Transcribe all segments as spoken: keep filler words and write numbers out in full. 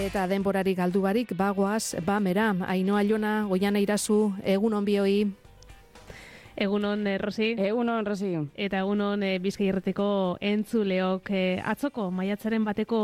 Eta denborari galdu barik, bagoaz, bamera, Ainhoa Jona, Goiana Irazu, egun on bioi. Egunon, eh, Rosi. Egunon, Rosi. Eta egunon eh, Bizkai Irratiko entzuleok eh, atzoko maiatzaren bateko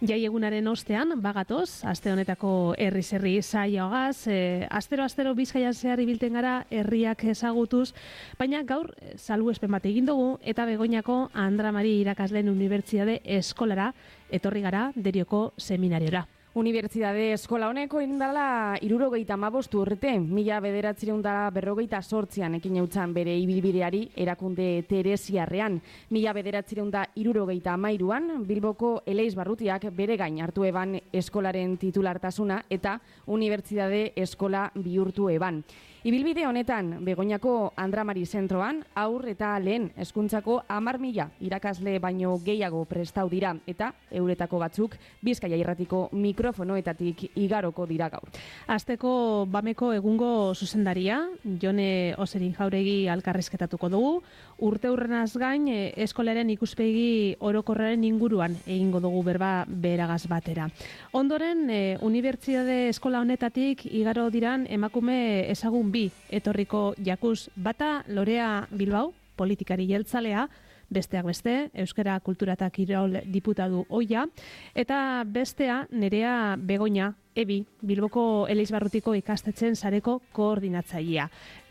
jai egunaren ostean, bagatoz, aste honetako herriz herri saioagaz, eh, astero-astero Bizkaian zehar ibilten gara herriak ezagutuz, baina gaur eh, salbuespen bat egin dugu eta Begoñako Andra Mari irakasleen unibertsitate eskolara etorri gara Derioko seminariora. Unibertsitate eskola honeko indala hirurogeita hamabost urte, mila bederatziehun eta berrogeita zortzian ekin eutzan bere ibilbideari erakunde teresiarrean. Mila bederatziehun eta hirurogeita hamairuan Bilboko Eleizbarrutiak bere gain hartu eban eskolaren titulartasuna eta unibertsitate eskola bihurtu eban. Ibilbide honetan, Begoñako Andra Mari zentroan, aur eta lehen hezkuntzako hamar mila irakasle baino gehiago prestau dira eta euretako batzuk Bizkaia Irratiko mikrofonoetatik igaroko dira gaur. Asteko bameko egungo zuzendaria, Jone Oserin Jauregi alkarrizketatuko dugu, urte hurrenaz gain eskolaren ikuspegi orokorraren inguruan egingo dugu berba beragaz batera. Ondoren, e, unibertsitate eskola honetatik igaro diran emakume ezagun bi etorriko jakuz, bata Lorea Bilbao, politikari jeltzalea, besteak beste, Euskara Kultura eta Kirol diputatu ohia, eta bestea Nerea Begoña, Ebi, Bilboko Eleizbarrutiko ikastetxen sareko koordinatzailea.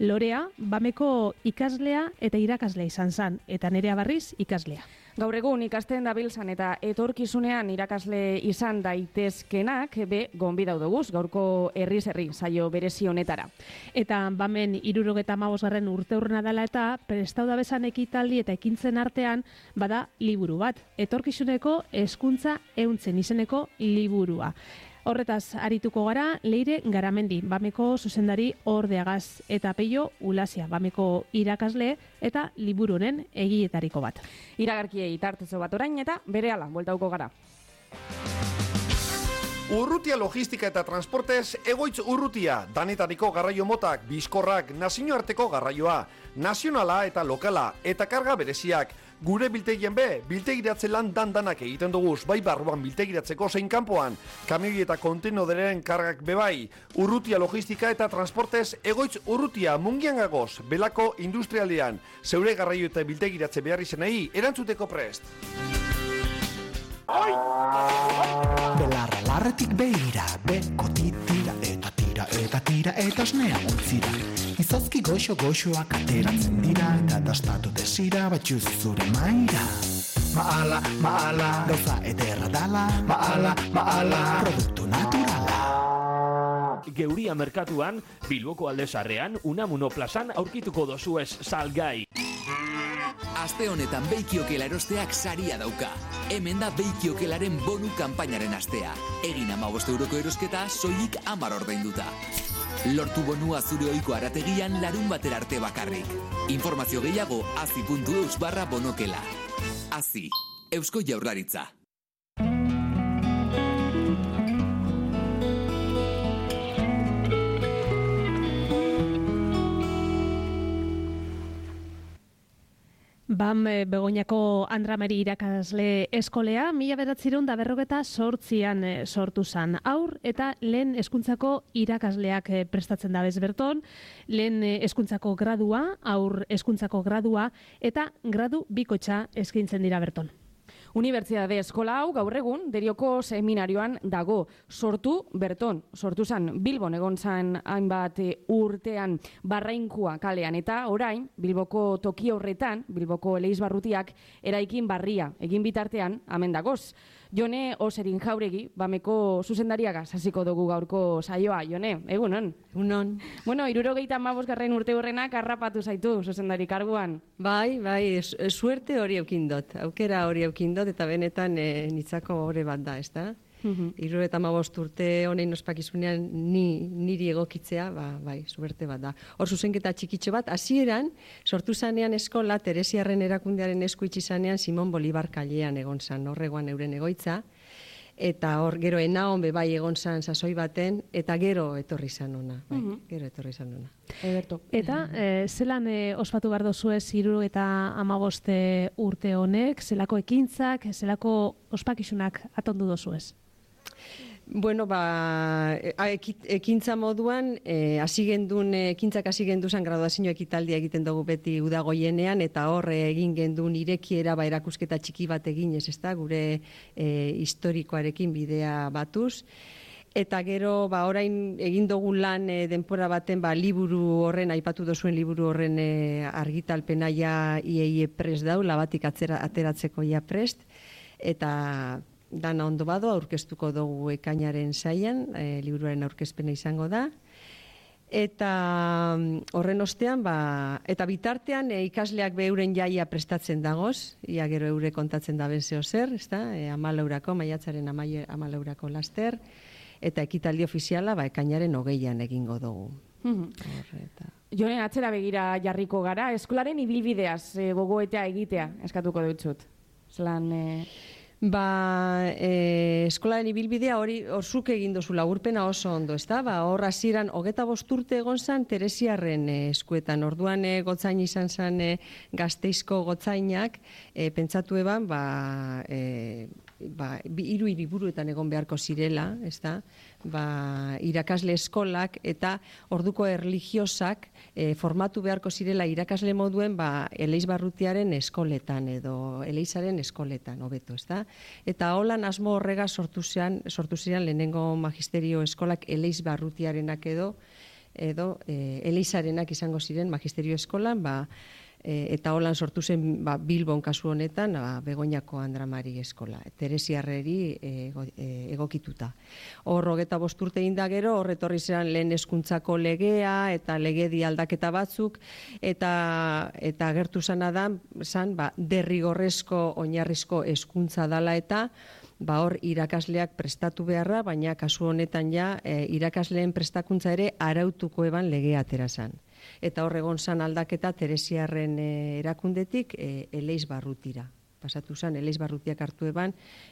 Lorea, bameko ikaslea eta irakaslea izan zan, eta Nerea Barriz ikaslea. Gaur egun ikasten dabiltzan eta etorkizunean irakasle izan daitezkenak be gonbidatu duguz gaurko herriz herri saio berezi honetara. Eta bamen hirurogeta hamabosgarren urteurrena dela eta prestau da bezan ekitaldi eta ekintzen artean bada liburu bat. Etorkizuneko hezkuntza ehuntzen izeneko liburua. Horretaz, arituko gara, Leire Garamendi, bameko zuzendari ordeagaz, eta Peio Ulasia, bameko irakasle eta liburu honen egietariko bat. Iragarkiei tartezo bat orain eta berehala bueltauko gara. Urrutia logistika eta transportez egoitz urrutia, danetariko garraio motak, bizkorrak, nazioarteko garraioa, nazionala eta lokala, eta karga bereziak. Gure biltegien be, biltegiratze lan dandanak egiten duguz, bai barruan biltegiratzeko zein kanpoan, kamioi eta kontenoderen kargak bebai, urrutia logistika eta transportez egoitz urrutia mungian gagoz, belako industrialdean, zeure garraio eta biltegiratze behar izenei, erantzuteko prest. Belarra larretik behira, beko titira eta tira eta tira eta osnea ontzira. Izozki goxo-goxoak ateratzen dira eta dastatu desira batxuz zure maira. Maala, maala, gauza ederra dala, maala, maala, produktu naturala. Geuria merkatuan, Bilboko Aldezarrean, Unamuno plazan aurkituko dozuez salgai. Aste honetan Beikiokel erosteak saria dauka. Hemen da Beikiokelaren bonu kanpainaren astea. Egin hamabost euroko erosketa soilik hamar ordainduta. Lortu bonua zure ohiko arategian larun batera arte bakarrik. Informazio gehiago azi puntu eus barra bonokela. Azi, Eusko Jaurlaritza. Bam Begoñako Andra Mari irakasle eskolea mila bederatziehun eta berrogeta zortzian sortu zan. Aur eta lehen hezkuntzako irakasleak prestatzen da bez berton, lehen hezkuntzako gradua, aur hezkuntzako gradua eta gradu bikotxa eskaintzen dira berton. Unibertsitate eskola hau gaur egun Derioko seminarioan dago. Sortu berton, sortu zan Bilbon egon zan hainbat urtean Barrainkua kalean eta orain Bilboko toki horretan, Bilboko Eleizbarrutiak eraikin barria egin bitartean hemen dagoz. Jone Oserin Jauregi, bameko zuzendariagaz hasiko dugu gaurko saioa. Jone, egunon? Egunon. Bueno, hirurogeita hamabosgarren urte hurrenak harrapatu zaitu zuzendari karguan. Bai, bai, suerte hori eukindot, aukera hori eukindot eta benetan e, nitzako hori bat da, ez da? Hirurogeita hamabost urte honein ospakizunean ni, niri egokitzea, ba, bai, suerte bat da. Hor zuzenketa txikitxo bat, hasieran sortu zanean eskola, Teresiarren erakundearen esku itxi zanean Simon Bolivar kalean egon zan, horregoan euren egoitza, eta hor gero enaon be bai egon zan sasoi baten, eta gero etorri zan ona, bai, uh-huh. gero etorri zan ona. Eberto. Eta e, zelan e, ospatu behar dozuez hirurogeita hamabost urte honek, zelako ekintzak, zelako ospakizunak atondu dozuez? Bueno, ba, ekintza moduan, hasi gendun, ekintzak hasi genduzan graduazio ekitaldia egiten dugu beti udagoienean, eta hor egin gendun irekiera, ba, erakusketa txiki bat eginez, ez da, gure e, historikoarekin bidea batuz. Eta gero, ba, orain egin dugu lan e, denpora baten, ba, liburu horren, aipatu dozuen liburu horren e, argitalpena ja ieie prest dau, labatik atzera, ateratzeko ja prest, eta dana ondo bado, aurkeztuko dugu ekainaren saian, e, liburuaren aurkezpena izango da. Eta horren ostean, ba, eta bitartean e, ikasleak beuren jaia prestatzen dagoz, ia gero eure kontatzen da benzeo zer, ez da, e, amalaurako, maiatzaren amalaurako laster, eta ekitaldi ofiziala ba, ekainaren hogeian egingo dugu. Mm-hmm. Jone, atzera begira jarriko gara, eskolaren ibilbideaz e, gogoetea egitea, eskatuko dutxut. Zelan... E... Ba, e, eskolaren ibilbidea hori orzuk egin dozu laburpena oso ondo, ez da? Ba, hor hasieran hogeta bost urte egon zan Teresiarren e, eskuetan. Orduan e, gotzain izan zan e, Gasteizko gotzainak, e, pentsatu eban, ba, e, ba, hiru hiriburuetan egon beharko zirela, ez da? Ba, irakasle eskolak eta orduko erlijiosak e, formatu beharko zirela irakasle moduen ba, Eleiz Barrutiaren eskoletan edo Eleizaren eskoletan, hobeto, ez da? Eta holan asmo horrega sortu ziren, sortu ziren lehenengo magisterio eskolak Eleiz Barrutiarenak edo, edo e, Eleizarenak izango ziren magisterio eskolan, ba, e, eta holan sortu zen ba, Bilbon kasu honetan ba, Begoñako Andramari eskola, Teresiarreri e, e, egokituta. Hor hogeta bost urte inda gero, hor etorri ziren lehen hezkuntzako legea eta legedi aldaketa batzuk, eta eta agertu zana da, zan, ba, derrigorrezko oinarrizko hezkuntza dala eta ba hor irakasleak prestatu beharra, baina kasu honetan ja e, irakasleen prestakuntza ere arautuko eban legea atera zan. Eta hor egon zan aldaketa Teresiarren e, erakundetik e, Eleiz Barrutira. Pasatu zen, Eleiz Barrutiak hartu eban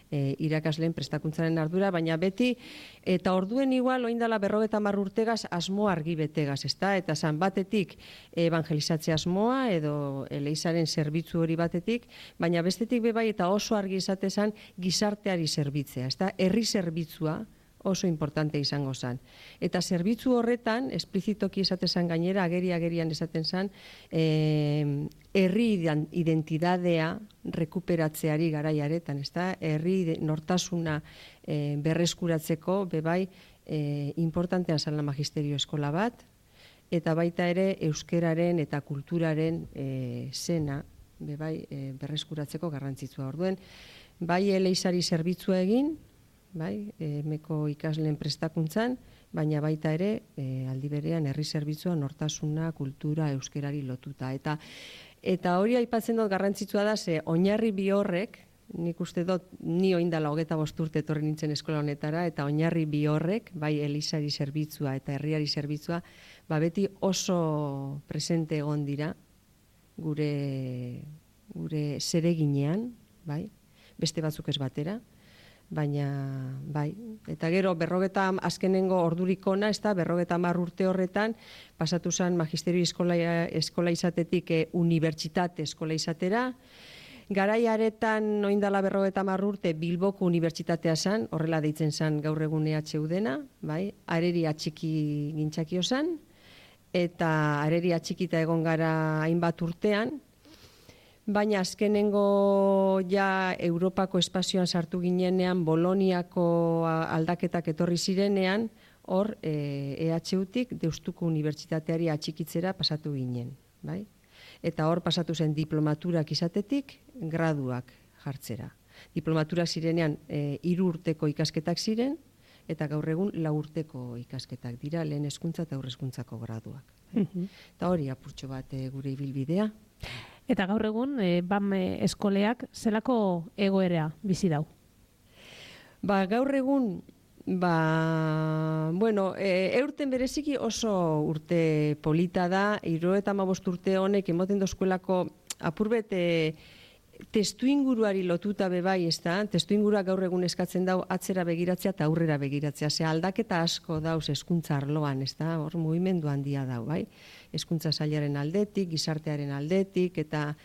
e, irakasleen prestakuntzaren ardura, baina beti, eta orduen igual, oindala berrogeta hamar urtegaz, asmo argi betegaz, ezta? Eta zan batetik evangelizatze asmoa, edo Eleizaren zerbitzu hori batetik, baina bestetik bebai eta oso argi izate zan gizarteari zerbitzea, ezta? Herri zerbitzua oso importante izango zen. Eta zerbitzu horretan, esplizitoki esaten zen gainera, ageri-agerian esaten zen, eh, herri identidadea rekuperatzeari garaiaretan, ez da? Herri nortasuna eh, berreskuratzeko, bebai, eh, importantean zen la magisterio eskola bat, eta baita ere euskeraren eta kulturaren eh, zena, bebai, eh, berreskuratzeko garrantzitsua. Orduen, bai Eleizari zerbitzua egin, bai, emeko ikasleen prestakuntzan, baina baita ere, e, aldi berean herri zerbitzua, nortasuna, kultura, euskerari lotuta. Eta eta hori aipatzen dut garrantzitsua da, ze oinarri bi horrek, nik uste dut, ni oindala hogeta bost urte etorri nintzen eskola honetara, eta oinarri bi horrek, bai Elizari zerbitzua eta herriari zerbitzua, ba beti oso presente egon dira, gure, gure zereginean, bai, beste batzuk ez batera, baina, bai, eta gero berrogeta azkenengo ordurikona, ez da, berrogeta hamar urte horretan, pasatu zen magisterio eskola, eskola izatetik e, unibertsitate eskola izatera, garaiaretan oindala berrogeta hamar urte Bilboko unibertsitatea zen, horrela deitzen zen gaur egun E H U dena, bai, areri atxiki gintzakio zen, eta areri atxikita egon gara hainbat urtean, baina azkenengo ja Europako espazioan sartu ginenean, Boloniako aldaketak etorri zirenean, hor E H U-tik Deustuko Unibertsitateari atxikitzera pasatu ginen, bai? Eta hor pasatu zen diplomaturak izatetik, graduak jartzera. Diplomaturak zirenean e, hiru urteko ikasketak ziren, eta gaur egun lau urteko ikasketak dira, lehen hezkuntza eta aurrezkuntzako graduak. Mm-hmm. Eta hori apurtxo bat e, gure ibilbidea. Eta gaur egun, e, B A M eskoleak zelako egoera bizi dau? Ba, gaur egun, ba, bueno, e, eurten bereziki oso urte polita da, hirurogeita hamabost urte honek emoten dozkuelako apurbet e, testu inguruari lotuta bebai, ez da? Testu ingurua gaur egun eskatzen dau atzera begiratzea eta aurrera begiratzea. Ze aldaketa asko dauz hezkuntza arloan, ez da? Hor mugimendu handia dau, bai? Hezkuntza sailaren aldetik, gizartearen aldetik, eta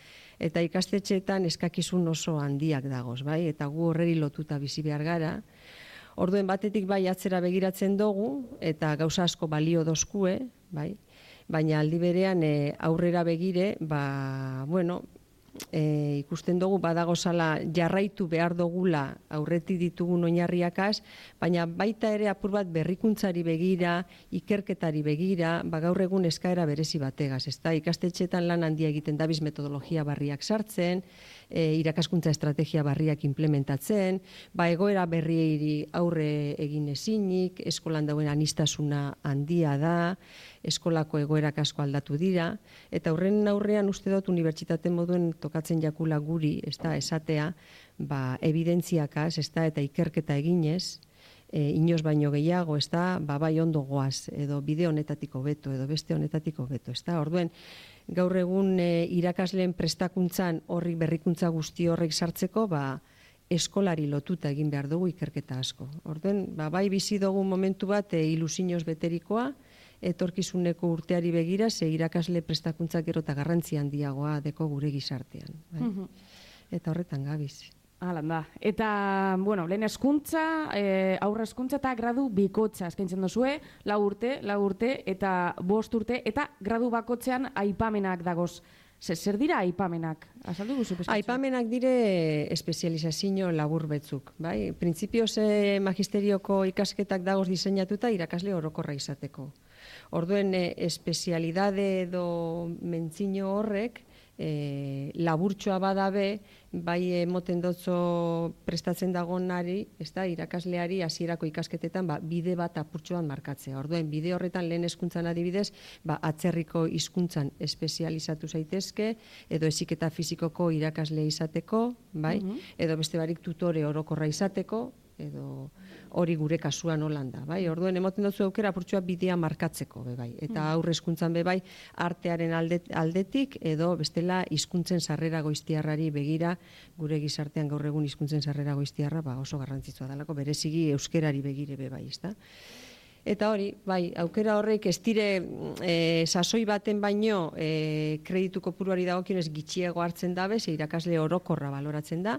eta ikastetxeetan eskakizun oso handiak dagoz, bai? Eta gu horreri lotuta bizi behar gara. Orduen batetik bai atzera begiratzen dugu, eta gauza asko balio dozkue, bai, baina aldi berean e, aurrera begire, ba, bueno, e, ikusten dugu badagozala jarraitu behar dugula aurretik ditugun oinarriakaz, baina baita ere apur bat berrikuntzari begira, ikerketari begira, ba gaur egun eskaera berezi bategaz, ezta? Ikastetxeetan lan handia egiten dabiz metodologia barriak sartzen, e, irakaskuntza estrategia barriak implementatzen, ba egoera berriei aurre egin ezinik, eskolan dauen anistasuna handia da, eskolako egoerak asko aldatu dira, eta horren aurrean uste dut unibertsitate moduen tokatzen jakula guri, ez da, esatea, ba, evidentziakaz, ez da, eta ikerketa eginez, e, inoz baino gehiago, ez da, ba, bai ondo goaz, edo bide honetatiko beto, edo beste honetatiko beto, ez da, orduen, gaur egun e, irakasleen prestakuntzan horrik berrikuntza guzti horrek sartzeko, ba, eskolari lotuta egin behar dugu ikerketa asko. Orduen, ba, bai bizi dugu momentu bat e, ilusinoz beterikoa, etorkizuneko urteari begira, ze irakasle prestakuntzak gero eta garrantzi handiagoa deko gure gizartean. Bai? Eta horretan gabiz. Halan da. Eta, bueno, lehen eskuntza, e, aurre eskuntza eta gradu bikotza eskaintzen dozue, lau urte, lau urte eta bost urte, eta gradu bakotzean aipamenak dagoz. Zer dira aipamenak? Azaldu guzu peskatzu? Aipamenak dire espezializazio labur betzuk. Bai? Printzipioz e, magisterioko ikasketak dagoz diseinatuta irakasle orokorra izateko. Orduen, e, espezialidade edo mentzino horrek e, laburtxoa badabe, bai emoten dotzo prestatzen dagonari, ez da, irakasleari hasierako ikasketetan ba, bide bat apurtxoan markatzea. Orduen, bide horretan lehen hezkuntzan adibidez, ba, atzerriko hizkuntzan espezializatu zaitezke, edo heziketa fizikoko irakasle izateko, bai, edo beste barik tutore orokorra izateko, edo hori gure kasuan Holanda, bai? Orduen emoten dutzu aukera apurtxoa bidea markatzeko, be bai. Eta aurre hezkuntzan be bai artearen alde, aldetik edo bestela hizkuntzen sarrera goiztiarrari begira, gure gizartean gaur egun hizkuntzen sarrera goiztiarra ba oso garrantzitsua dalako, bereziki euskerari begire be bai, ezta? Eta hori, bai, aukera horrek ez dire e, sasoi baten baino e, kreditu kopuruari dagokionez gitxiago hartzen dabe, ze irakasle orokorra baloratzen da,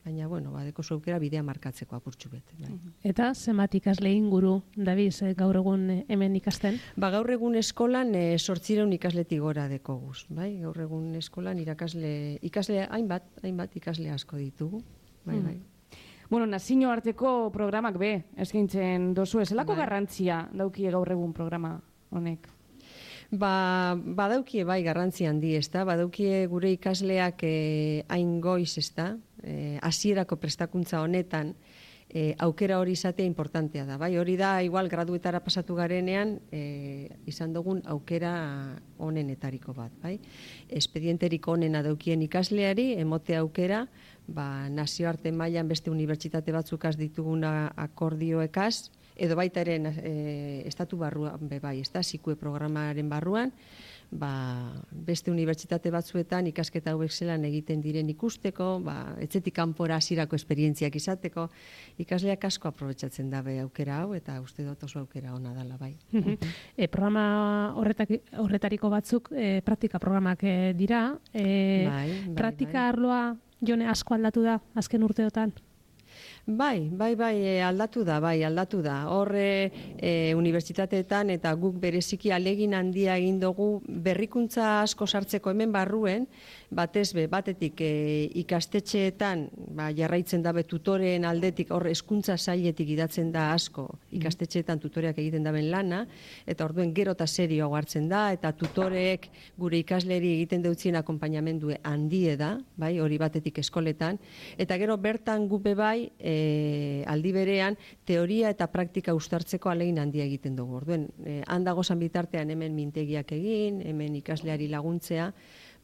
baina, bueno, badeko aukera bidea markatzeko apurtxu bete. Bai. Eta zenbat ikasle inguru, Dabiz, gaur egun hemen ikasten? Ba, gaur egun eskolan e, sortzireun ikasletik gora dekoguz. Bai? Gaur egun eskolan irakasle, ikasle hainbat, hainbat ikasle asko ditugu. Bai, bai. Bueno, nazio arteko programak be, eskaintzen dozu, zelako bai. Garrantzia daukie gaur egun programa honek? Ba, badaukie bai garrantzi handi, ezta? Badaukie gure ikasleak eh, hain goiz, ezta? Eh, hasierako prestakuntza honetan eh, aukera hori izatea importantea da. Bai, hori da igual graduetara pasatu garenean eh, izan dugun aukera honenetariko bat, bai? Espedienterik honena daukien ikasleari emote aukera, ba, nazioarte mailan beste unibertsitate batzukaz dituguna akordioekaz, edo baita ere e, estatu barruan be bai, ezta, sikue programaren barruan, ba, beste unibertsitate batzuetan ikasketa hauek zelan egiten diren ikusteko, ba, etxetik kanpora hasierako esperientziak izateko, ikasleak asko aprobetxatzen dabe aukera hau, eta uste dut oso aukera ona dela bai. E, programa horretak, horretariko batzuk e, praktika programak e, dira, e, bai, bai, praktika bai. arloa jone asko aldatu da azken urteotan? Bai, bai, bai, aldatu da, bai, aldatu da. Horre e, unibertsitateetan eta guk bereziki alegin handia egin dugu berrikuntza asko sartzeko hemen barruen, batez be, batetik e, ikastetxeetan ba, jarraitzen dabe tutoreen aldetik, hor hezkuntza sailetik idatzen da asko ikastetxeetan tutoreak egiten daben lana, eta orduen gero eta serio hartzen da, eta tutoreek gure ikasleri egiten deutzien akonpainamendue handie da, bai, hori batetik eskoletan, eta gero bertan gupe bai, E, aldi berean teoria eta praktika uztartzeko alegin handia egiten dugu. Orduen, e, handago zan bitartean hemen mintegiak egin, hemen ikasleari laguntzea,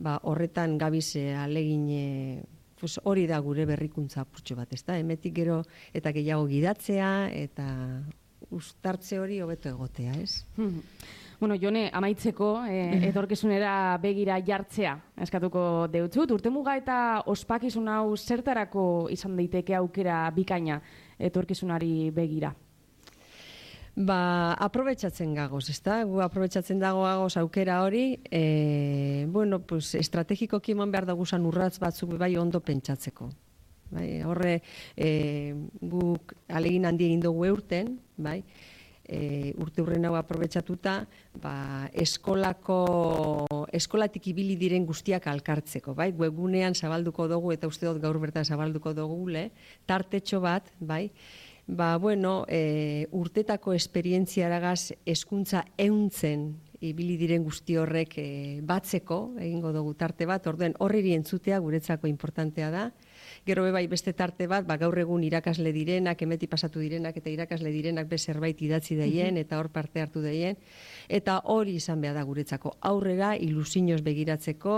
ba, horretan gabiz e, alegin e, pues, hori da gure berrikuntza apurtxo bat, ezta? Hemetik gero eta gehiago gidatzea eta uztartze hori hobeto egotea, ez? Bueno, Jone, amaitzeko, eh, etorkizunera begira jartzea eskatuko deutzut. Urtemuga eta ospakizun hau zertarako izan daiteke aukera bikaina etorkizunari begira? Ba, aprobetxatzen gagoz, ezta? Gu aprobetxatzen dago gagoz aukera hori, e, bueno, pues, estrategikoki eman behar daguzan urratz batzuk bai ondo pentsatzeko. Bai, horre e, guk alegin handi egin dugu eurten, bai, e, urte hurren hau aprobetxatuta, ba, eskolako, eskolatik ibili diren guztiak alkartzeko, bai, webgunean zabalduko dugu, eta uste dut gaur bertan zabalduko dugu, le, tartetxo bat, bai, ba, bueno, e, urtetako esperientziaragaz hezkuntza ehuntzen ibili diren guzti horrek e, batzeko, egingo dugu tarte bat, orduen horriri entzutea guretzako importantea da. Gero bai beste tarte bat, ba, gaur egun irakasle direnak, emeti pasatu direnak eta irakasle direnak be zerbait idatzi daien eta hor parte hartu daien. Eta hori izan behar da guretzako aurrera, ilusinoz begiratzeko,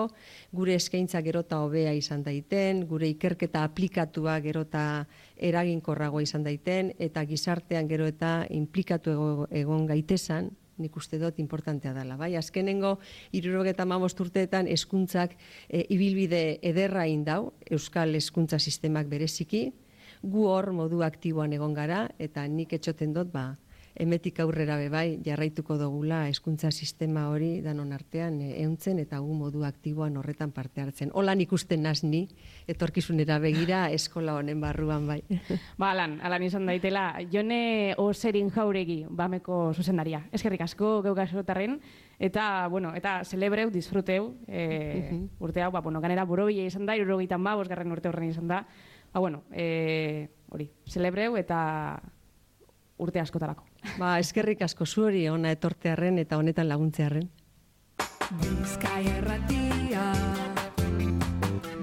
gure eskaintza gerota hobea izan daiten, gure ikerketa aplikatua gerota eraginkorragoa izan daiten, eta gizartean gero eta implikatu ego, egon gaitezan, nik uste dut importantea dela. Bai, azkenengo hirurogeita hamabost urteetan hezkuntzak e, ibilbide ederra indau, euskal hezkuntza sistemak bereziki, gu hor modu aktiboan egon gara, eta nik etxoten dut, ba, emetik aurrera bebai jarraituko dugula hezkuntza sistema hori danon artean ehuntzen eta gu modu aktiboan horretan parte hartzen. Holan ikusten naz ni, etorkizunera begira eskola honen barruan bai. Ba, alan, alan izan daitela. Jone Oserin Jauregi, Bameko zuzendaria. Eskerrik asko geukasotarren, eta, bueno, eta celebreu, disfruteu, e, urte hau, ba, bueno, ganera borobila izan da, irurogeitan ba, bosgarren urte horren izan da. Ba, bueno, e, hori, celebreu eta urte askotarako. Ba, eskerrik asko zuhori ona etortearren eta honetan laguntzearren. Bizkaia Erratia,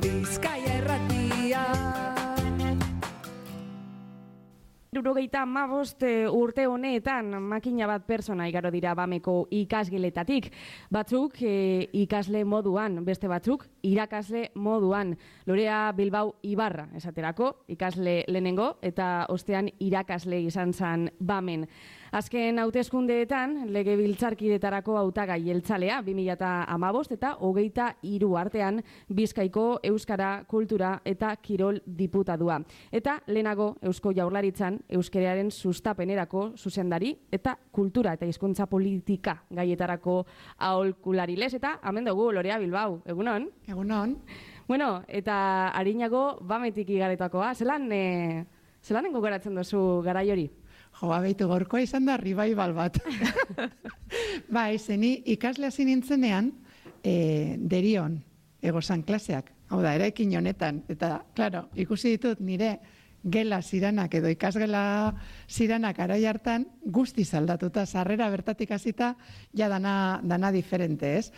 Bizkaia Erratia. Hirurogeita hamabost urte honetan makina bat pertsona igaro dira Bameko ikasgeletatik. Batzuk e, ikasle moduan, beste batzuk irakasle moduan. Lorea Bilbao Ibarra esaterako, ikasle lehenengo eta ostean irakasle izan zan Bamen. Azken hauteskundeetan legebiltzarkidetarako hautagai jeltzalea bi mila hamabost eta hogeita hiru artean Bizkaiko euskara, kultura eta kirol diputadua. Eta lehenago Eusko Jaurlaritzan euskararen sustapenerako zuzendari eta kultura eta hizkuntza politika gaietarako aholkulari lez. Eta hemen dugu Lorea Bilbao, egunon? Egunon. Bueno, eta arinago Bametik igaretakoa, zelan, e, zelan gogoratzen duzu garai hori? Jo, abeitu gorkoa izan da revival bat. Ba, izeni ikasle hasi nintzenean, e, derion, egozan klaseak. Hau da, eraikin honetan. Eta, klaro, ikusi ditut nire gela ziranak edo ikasgela ziranak arai hartan guztiz aldatuta, sarrera bertatik hasita ja dana, dana diferente, ez?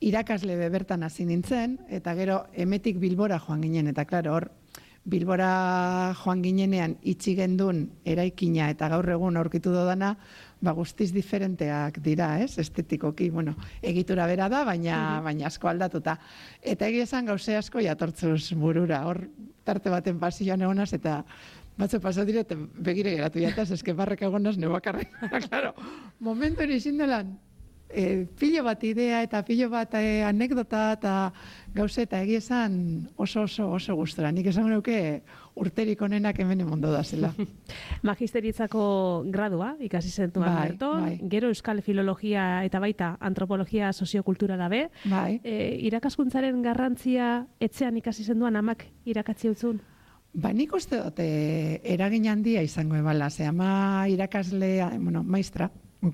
Irakasle bertan hasi nintzen, eta gero emetik Bilbora joan ginen, eta klaro, hor, Bilbora joan ginenean itxi gendun eraikina eta gaur egun aurkitu dodana, ba guztiz diferenteak dira, ez? Estetikoki, bueno, egitura bera da, baina, baina asko aldatuta. Eta egia esan gauze asko jatortzuz burura, hor tarte baten pasioan egonaz, eta batzu pasatu dire, eta begire geratu jataz, eske barrek egonaz nebakarren. Claro, momentu hori zindelan, E, pilo bat idea eta pilo bat e, anekdota eta gauze eta egia esan oso oso oso gustora. Nik esan nuke urterik onenak hemen emondo da zela. Magisteritzako gradua ikasi zentuan bai, berton, bai. Gero euskal filologia eta baita antropologia soziokultura dabe. Bai. E, irakaskuntzaren garrantzia etxean ikasi zenduan amak irakatzi utzun? Ba, nik uste dut e, eragin handia izango ebala. Ze ama irakasle, bueno, maistra,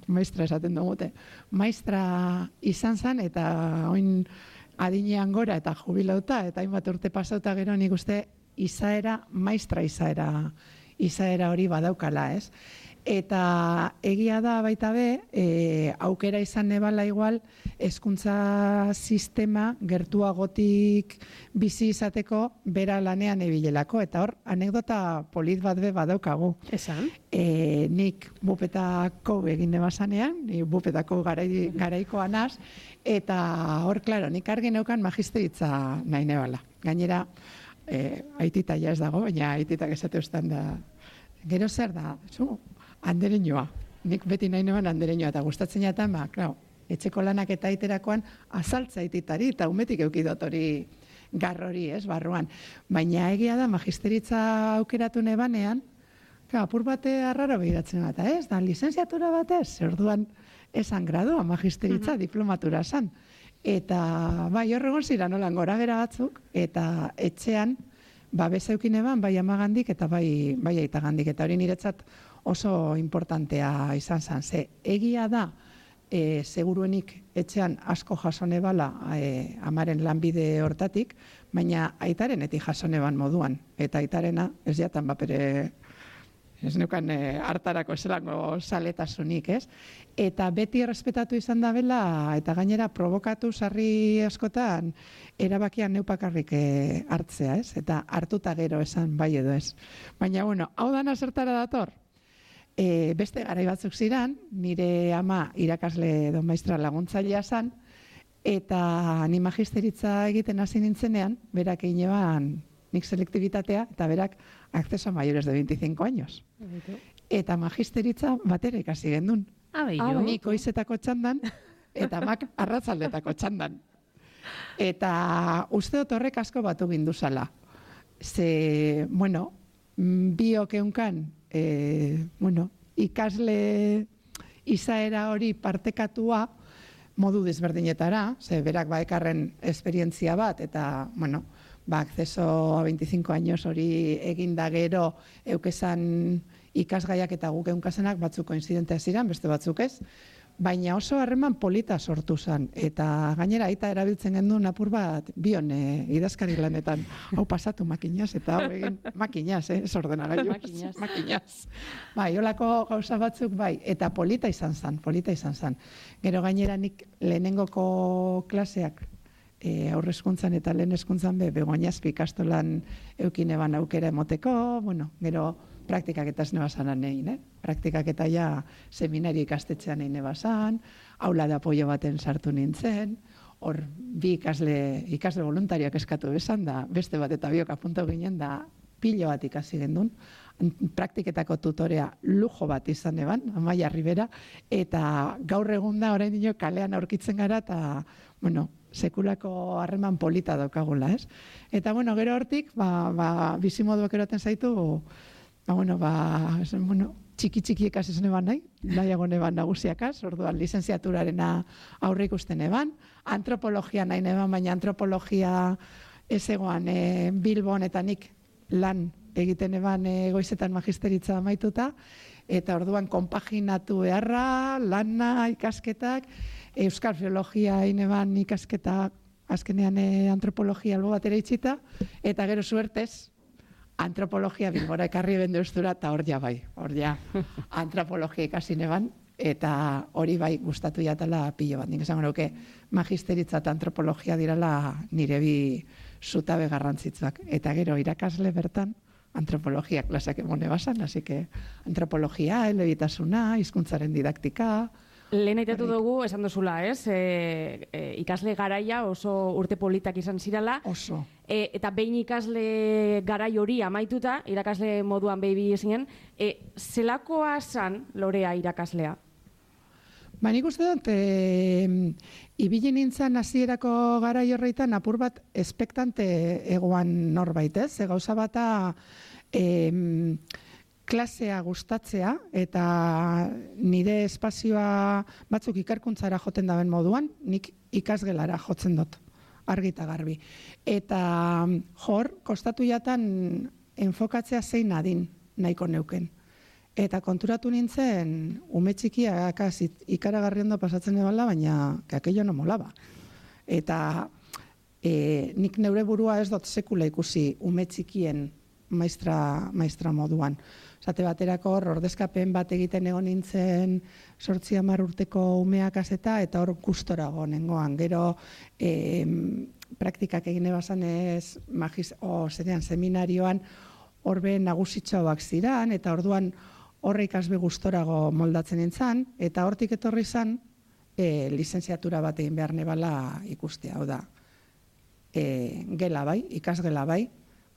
maistra esaten dugute. Maistra izan zen eta oin adinean gora eta jubilauta eta hainbat urte pasauta gero nik uste izaera, maistra izaera, izaera hori badaukala, ez? Eta egia da baita be, e, aukera izan nebala igual, hezkuntza sistema gertuagotik bizi izateko bera lanean ebilelako. Eta hor, anekdota polit bat be badaukagu. Esan? E, nik bupetako egin nebazanean, ni bupetako garai, garaikoa naz, eta hor, klaro, nik argi neukan magisteritza nahi nebala. Gainera, e, aitita ja ez dago, baina aititak esate ustan da, gero zer da, zu, andereñoa. Nik beti nahi neban andereñoa, eta gustatzen jaten, ba, klaro, etxeko lanak eta aiterakoan azaltza aititari, eta umetik eukidot hori garrori, ez, barruan. Baina egia da, magisteritza aukeratu nebanean, klaro, apur bate arraro behiratzen bat, ez, da, lizenziatura batez, orduan esan gradua magisteritza, uh-huh. diplomatura esan. Eta, bai, horregon zira nolan gora bera batzuk, eta etxean, babesa eukin eban, bai amagandik eta bai, bai aitagandik. Eta hori niretzat oso importantea izan zen. Ze egia da, e, seguruenik etxean asko jasone bala e, amaren lanbide hortatik, baina aitarenetik jasone ban moduan. Eta aitarena ez jatan bapere, ez neukan e, hartarako eselango saletasunik, ez? Eta beti errespetatu izan da bela, eta gainera provokatu sarri askotan, erabakian neupakarrik e, hartzea, ez? Eta hartuta gero esan bai edo ez. Baina, bueno, hau dana zertara dator? E, beste garai batzuk ziran, nire ama irakasle edo maistra laguntzailea zan, eta ni magisteritza egiten hasi nintzenean, berak egin eban nik selektibitatea, eta berak acceso a mayores de veinticinco años. Eta magisteritza batera ikasi gendun. Nik goizetako txandan, eta mak arratzaldetako txandan. Eta uste dut horrek asko batu ginduzala. Ze, bueno, biok eunkan, e, bueno, ikasle izaera hori partekatua modu desberdinetara, ze berak baekarren esperientzia bat, eta, bueno, ba, acceso a veinticinco años hori eginda gero eukesan ikasgaiak eta guk eunkasenak batzuk koinzidentea ziren, beste batzuk ez, baina oso harreman polita sortu zen, eta gainera aita erabiltzen gendun apur bat bion e, idazkari lanetan, hau pasatu makinaz, eta hau egin makinaz, eh, ez ordenagailu, makinaz. makinaz. Bai, holako gauza batzuk, bai, eta polita izan zen, polita izan zen. Gero gainera nik lehenengoko klaseak, e, aurrezkuntzan eta lehen hezkuntzan be, begoinazpi ikastolan eukin eban aukera emoteko, bueno, gero praktikak eta ez nebazanan egin, eh? Praktikak eta ja seminari ikastetxean egin nebazan, aula de apoio baten sartu nintzen, hor bi ikasle, ikasle voluntarioak eskatu bezan da, beste bat eta biok apuntu ginen da pilo bat ikasi gendun, praktiketako tutorea lujo bat izan eban, Amaia Ribera, eta gaur egun da orain dino kalean aurkitzen gara, eta, bueno, sekulako harreman polita daukagula, ez? Eta, bueno, gero hortik, ba, ba, bizimoduak eroten zaitu, ba, bueno, ba, esen, bueno, txiki-txiki ekasi zen eban nahi, nahiago neban nagusiakaz, orduan lizenziaturarena aurre ikusten eban, antropologia nahi neban, baina antropologia ez egoan e, Bilbon eta nik lan egiten eban e, goizetan magisteritza amaituta, eta orduan konpaginatu beharra, lana, ikasketak, euskal filologia egin eban ikasketak, azkenean e, antropologia albo batera itxita, eta gero suertez, antropologia Bilbora ekarri bende ustura, eta hor ja bai, hor ja antropologia ikasi neban, eta hori bai gustatu jatala pilo bat. Nik esango nuke magisteritza eta antropologia dirala nire bi zutabe garrantzitsuak. Eta gero irakasle bertan antropologia klasak emone basan, así que antropologia, elebitasuna, hizkuntzaren didaktika. Lehen aitatu dugu, esan duzula, ez? E, e, ikasle garaia oso urte politak izan zirala. Oso. E, eta behin ikasle garai hori amaituta, irakasle moduan behi zinen, e, zelakoa zan Lorea irakaslea? Ba, nik uste dut, e, ibili nintzen hasierako garai horreitan apur bat espektante egoan norbait, ez? Ze gauza bata e, klasea gustatzea eta nire espazioa batzuk ikerkuntzara joten daben moduan, nik ikasgelara jotzen dut, argi eta garbi. Eta jor, kostatu jatan enfokatzea zein adin nahiko neuken. Eta konturatu nintzen, ume txikiak ikaragarri ondo pasatzen ebala, baina aquello no molaba. Eta e, nik neure burua ez dut sekula ikusi ume txikien maistra, maistra moduan. Zate baterako hor, ordezkapen bat egiten egon nintzen sortzi hamar urteko umeak azeta, eta hor gustorago nengoan. Gero e, praktikak egin ebazan ez, magiz, o, zerean, seminarioan, horbe nagusitxoak ziran, eta orduan horre ikasbe gustorago moldatzen nintzen, eta hortik etorri zan, e, lizenziatura bat egin behar nebala ikustea, hau da. E, gela bai, ikasgela bai,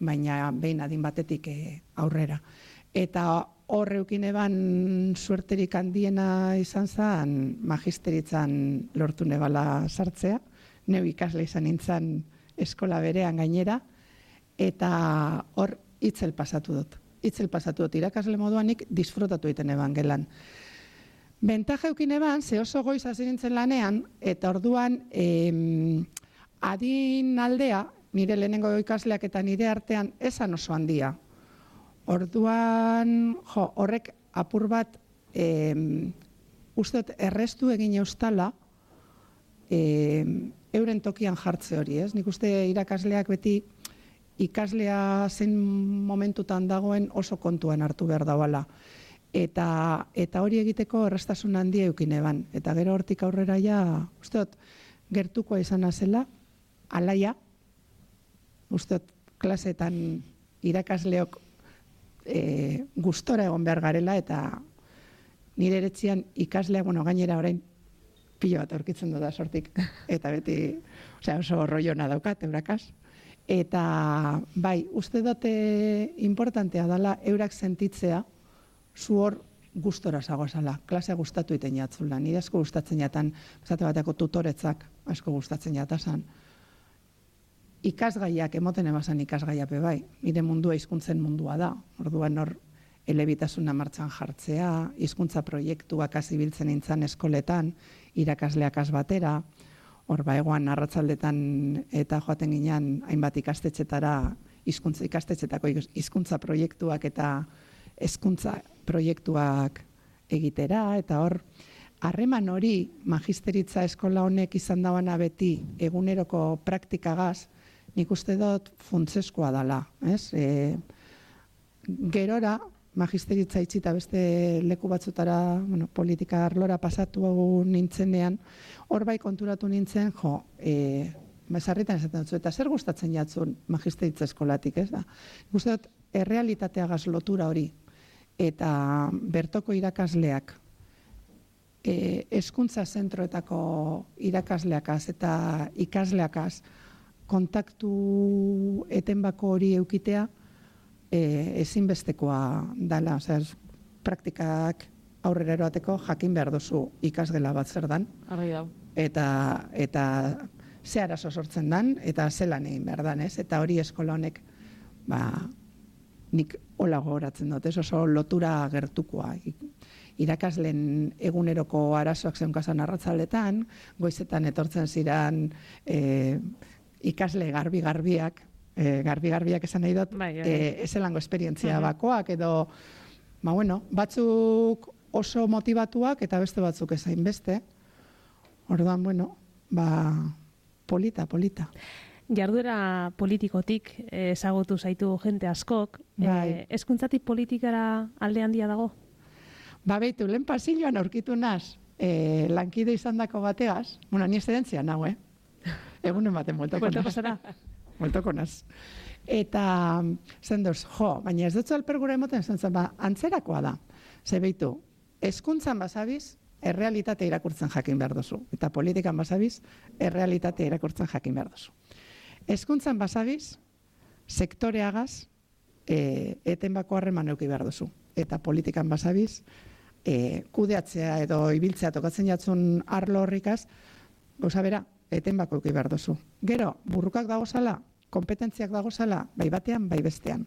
baina behin adin batetik e, aurrera. Eta horreukin eban suerterik handiena izan zen magisteritzan lortu nebala sartzea, neu ikasle izan nintzen eskola berean gainera, eta hor itzel pasatu dut. Itzel pasatu dut, irakasle moduanik disfrutatu egiten eban gelan. Bentaja eukin eban, ze oso goiz hasi nintzen lanean, eta orduan em, adin aldea, nire lehenengo ikasleak eta nire artean esan oso handia. Orduan, jo, horrek apur bat, eh, uste dut errestu egin eustala, eh, euren tokian jartze hori, ez? Nik uste irakasleak beti ikaslea zein momentutan dagoen oso kontuan hartu behar dauala. Eta, eta hori egiteko errestasun handia eukin eban. Eta gero hortik aurrera ja, uste dut, gertukoa izan zela, alaia, uste dut, klaseetan irakasleok e, gustora egon behar garela, eta nire eretzian ikaslea, bueno, gainera orain pilo bat aurkitzen du da sortik, eta beti, osea, oso roiona daukat, eurakaz. Eta, bai, uste dute importantea dela eurak sentitzea, zu hor gustora zagozala, klasea gustatu iten jatzula. Nire asko gustatzen jatan, esate bateko tutoretzak asko gustatzen jatazan. Ikasgaiak, emoten emazan ikasgaiape bai, nire mundua hizkuntzen mundua da. Orduan hor, elebitasuna martxan jartzea, hizkuntza proiektuak azibiltzen nintzen eskoletan, irakasleak batera, hor ba egoan arratzaldetan eta joaten ginean hainbat ikastetxetara, hizkuntza ikastetxetako hizkuntza proiektuak eta hezkuntza proiektuak egitera, eta hor, harreman hori magisteritza eskola honek izan dauana beti eguneroko praktikagaz, nik uste dut funtzeskoa dela. Ez? E, gerora, magisteritza itxita beste leku batzutara, bueno, politika arlora pasatu nintzenean, hor bai konturatu nintzen, jo, e, sarritan esaten dut, eta zer gustatzen jatzun magisteritza eskolatik, ez da? Nik dut, errealitateagaz lotura hori, eta bertoko irakasleak, e, hezkuntza zentroetako irakasleakaz eta ikasleakaz kontaktu etenbako hori eukitea, E, ezinbestekoa dela, osea, praktikak aurrera eroateko jakin behar duzu ikasgela bat zer dan, eta, eta ze arazo sortzen dan, eta zelan egin behar dan, ez? Eta hori eskola honek, ba, nik hola gogoratzen dut, ez oso lotura gertukoa. Irakasleen eguneroko arazoak zeunkazan arratzaletan, goizetan etortzen ziren e, ikasle garbi-garbiak, E, garbi-garbiak esan nahi dut, bai, bai. E, ezelango esperientzia uh-huh. bakoak, edo, ba, bueno, batzuk oso motivatuak eta beste batzuk ezain beste. Orduan, bueno, ba, polita, polita. Jarduera politikotik ezagutu zaitu jente askok, bai. Hezkuntzatik e, politikara alde handia dago? Ba, behitu, lehen pasilloan aurkitu naz, e, lankide izan dako bategaz, bueno, ni estedentzia nago, eh? Egunen baten moltoko naz. Moltoko naz. Eta, zen duz, jo, baina ez dutzu alpergura emoten, zen zen, ba, antzerakoa da. Ze behitu, hezkuntzan basabiz, errealitate irakurtzen jakin behar duzu. Eta politikan basabiz, errealitate irakurtzen jakin behar duzu. Hezkuntzan basabiz, sektoreagaz, e, etenbako harreman euki behar duzu. Eta politikan basabiz, e, kudeatzea edo ibiltzea tokatzen jatzun arlo horrikaz, gauza bera, etenbako euki behar duzu. Gero, burrukak dagozala, kompetentziak dagozala, bai batean, bai bestean.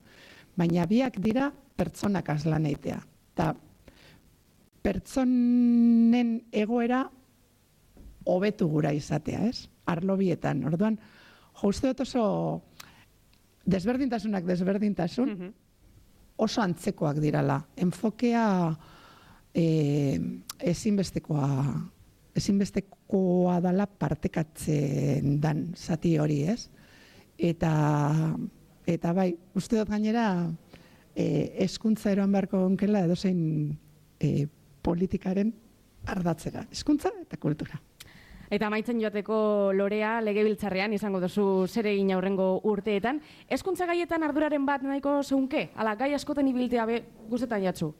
Baina biak dira pertsonak azlan eitea. Eta pertsonen egoera hobetu gura izatea, ez? Arlo bietan. Orduan, jo, uste dut oso desberdintasunak desberdintasun, uh-huh. oso antzekoak dirala. Enfokea e, ezinbestekoa ezinbestekoa dala partekatzen dan zati hori, ez? Eta, eta bai, uste dut gainera, hezkuntza eroan beharko gonkela edozein e, politikaren ardatzera. Hezkuntza eta kultura. Eta amaitzen joateko Lorea, legebiltzarrean izango duzu zer egin aurrengo urteetan. Hezkuntza gaietan arduraren bat nahiko zeunke? Ala, gai askoten ibiltea be guztetan jatzu?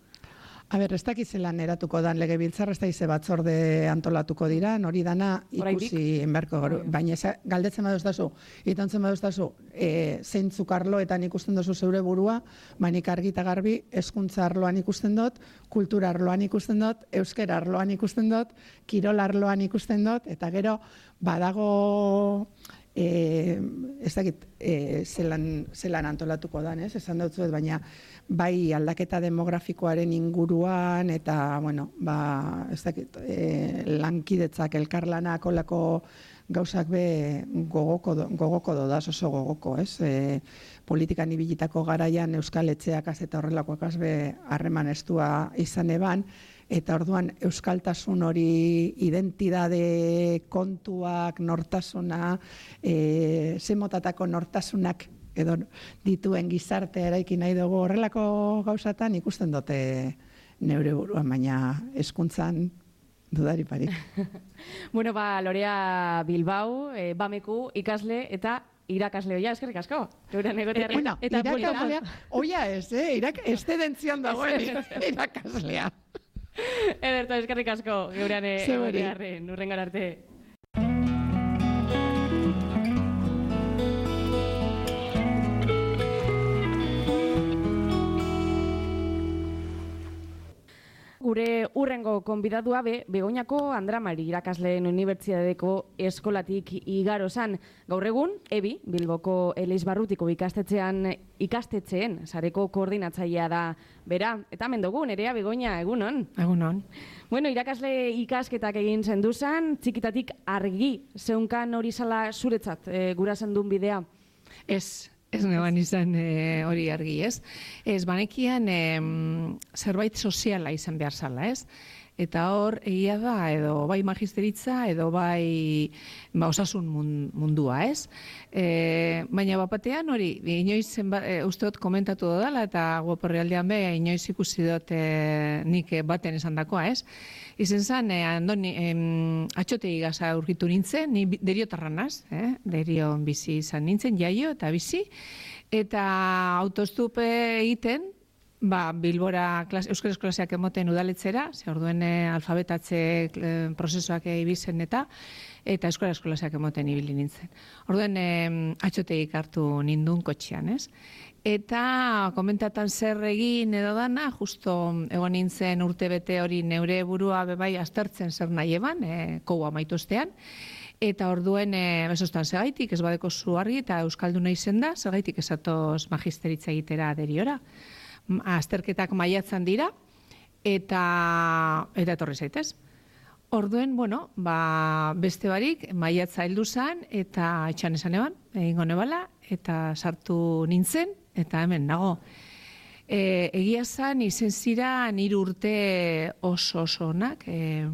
A ber, ez dakiz zelan eratuko dan legebiltzar, ez dakiz batzorde antolatuko dira, hori dana ikusi enberko, baina galdetzen baduz dazu, itantzen baduz dazu, e, zeintzuk arloetan ikusten duzu zeure burua, bainik argi eta garbi, hezkuntza arloan ikusten dut, kultura arloan ikusten dut, euskera arloan ikusten dut, kirol arloan ikusten dut, eta gero badago... E, ez dakit e, zelan, zelan antolatuko dan, ez? Esan dutzuet, baina bai aldaketa demografikoaren inguruan eta, bueno, ba, ez dakit, e, lankidetzak, elkarlanak, olako gauzak be gogoko, gogoko dodaz, oso gogoko, ez? E, politikan ibilitako garaian Euskal Etxeak az eta horrelakoak az be harreman estua izan eban, eta orduan euskaltasun hori identidade kontuak, nortasuna, e, zemotatako nortasunak edo dituen gizarte eraiki nahi dugu horrelako gauzatan ikusten dute neure buruan, baina hezkuntzan dudari parik. Bueno, ba, Lorea Bilbao, e, Bameku ikasle eta irakasle oia, eskerrik asko. Euren egotearen. Bueno, eta irakaslea, oia ez, eh? Irak, estedentzian dagoen irakaslea. Ederto, eskerrik asko, geurean egotearen, urrengan arte. Gure urrengo konbidatua be, Begoñako Andramari irakasleen unibertsitateko eskolatik igaro zan. Gaur egun, Ebi, Bilboko Elizbarrutiko ikastetxean ikastetxeen sareko koordinatzailea da bera. Eta mendogu, nerea Begoña, egunon? Egunon. Bueno, irakasle ikasketak egin zenduzan, txikitatik argi zeunkan hori zala zuretzat e, gura zendun bidea? Ez. Ez neban izan e, hori argi, ez? Ez, banekian e, zerbait soziala izan behar zala, ez? Eta hor, egia da, edo bai magisteritza, edo bai ba, osasun mundua, ez? E, baina bapatean hori, inoiz zenba, e, uste dut komentatu dodala, eta guaporrealdean be, inoiz ikusi dut e, nik baten esan dakoa, ez? Izen zan, e, andoni, em, atxotegi gaza urgitu nintzen, ni deriotarranaz, eh? Derion bizi izan nintzen, jaio eta bizi, eta autostupe egiten, ba, Bilbora klas, euskaraz klaseak emoten udaletzera, ze orduen e, alfabetatze e, prozesuak ibizen eta, eta euskaraz klaseak emoten ibili nintzen. Orduen e, atxotegik hartu nindun kotxean, ez? Eta komentatan zer egin edo dana, justo egon nintzen urte bete hori neure burua bebai aztertzen zer nahi eban, e, koua maituztean, eta orduen e, bezostan segaitik, ez badeko zu argi, eta euskalduna izen da, segaitik esatoz magisteritza egitera deriora. Azterketak maiatzan dira, eta eta etorri zaitez. Orduen, bueno, ba, beste barik, maiatza heldu zan, eta etxan esan eban, egingo nebala, eta sartu nintzen, eta hemen nago. E, egia zan, izen zira nire urte oso oso onak, e,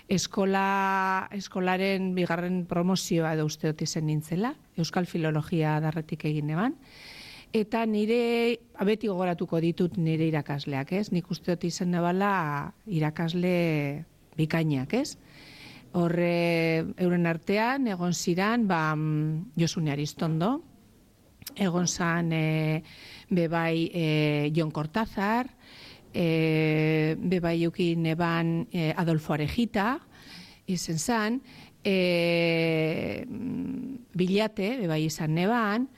eskola, eskolaren bigarren promozioa edo uste dut izen nintzela, Euskal Filologia darretik egin eban, eta nire, beti gogoratuko ditut nire irakasleak, ez? Nik uste dut izen nebala irakasle bikainak, ez? Horre, euren artean, egon ziran, ba, Josune Aristondo, egon zan e, bebai e, Jon Cortázar, e, bebai eukin eban e, Adolfo Arejita, izen zan, e, Bilate, bebai izan neban,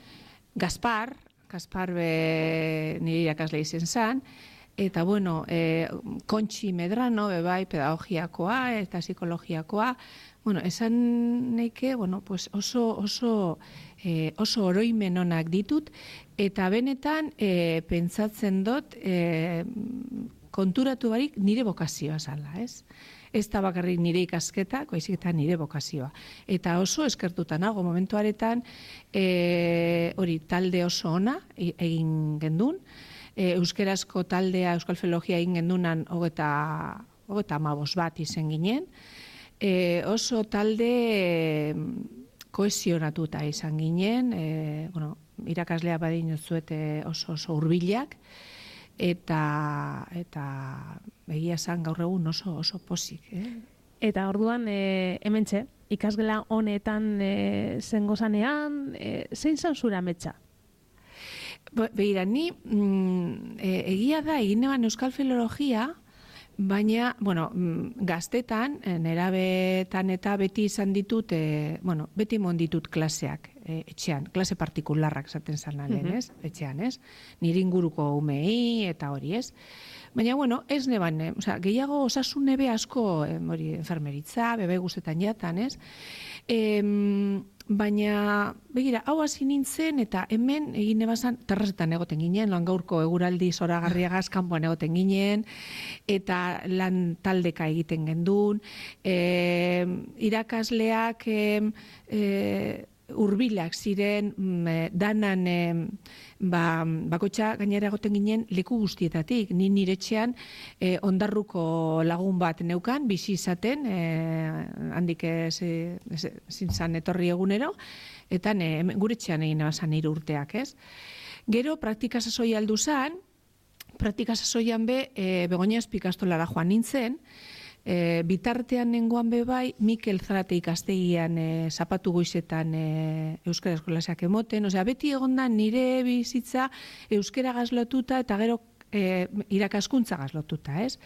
Gaspar, Gaspar be nire irakasle izen zan, eta bueno, e, Kontxi Medrano, bebai, pedagogiakoa eta psikologiakoa, bueno, esan neike, bueno, pues oso, oso, e, oso oroimen onak ditut, eta benetan e, pentsatzen dut e, konturatu barik nire bokazioa zala, ez? Ez da bakarrik nire ikasketa, baizik eta nire bokazioa. Eta oso eskertuta nago momentuaretan, e, hori talde oso ona egin gendun, e, euskerazko taldea, Euskal Filologia egin gendunan hogeta, hogeta amabos bat izen ginen, e, oso talde e, kohesionatuta izan ginen, e, bueno, irakaslea badin zuete oso oso hurbilak, eta eta egia esan gaur egun oso oso pozik, eh? Eta orduan e, hementxe, ikasgela honetan e, zengo zanean, e, zein zan zura ametsa? Begira, ni mm, e, egia da egin neban Euskal Filologia, baina, bueno, gaztetan, nerabetan eta beti izan ditut, e, bueno, beti mon ditut klaseak, e, etxean, klase partikularrak zaten zan lehen, ez? Etxean, ez? Nire inguruko umei eta hori, ez? Baina, bueno, ez neban, eh? Osea, gehiago osasun nebe asko, eh, hori, enfermeritza, bebe guztetan jatan, ez? E, baina, begira, hau hasi nintzen, eta hemen egin ebazan, terrazetan egoten ginen, lan gaurko eguraldi zoragarriagaz kanpoan egoten ginen, eta lan taldeka egiten gendun, e, irakasleak e, e, urbilak ziren, danan e, ba, bakotxa gainera egoten ginen leku guztietatik. Ni nire etxean e, ondarruko lagun bat neukan, bizi izaten, e, handik ez, ez, zintzan etorri egunero, eta ne, gure etxean egin ebazan nire urteak, ez? Gero, praktika sasoi aldu zan, praktika sasoian be, e, Begoña Espikastolara joan nintzen, E, bitartean nengoan bebai, Mikel Zarate ikastegian e, zapatu goizetan e, euskara eskolasak emoten, osea, beti egonda nire bizitza euskara gazlotuta eta gero e, irakaskuntza gazlotuta, ez?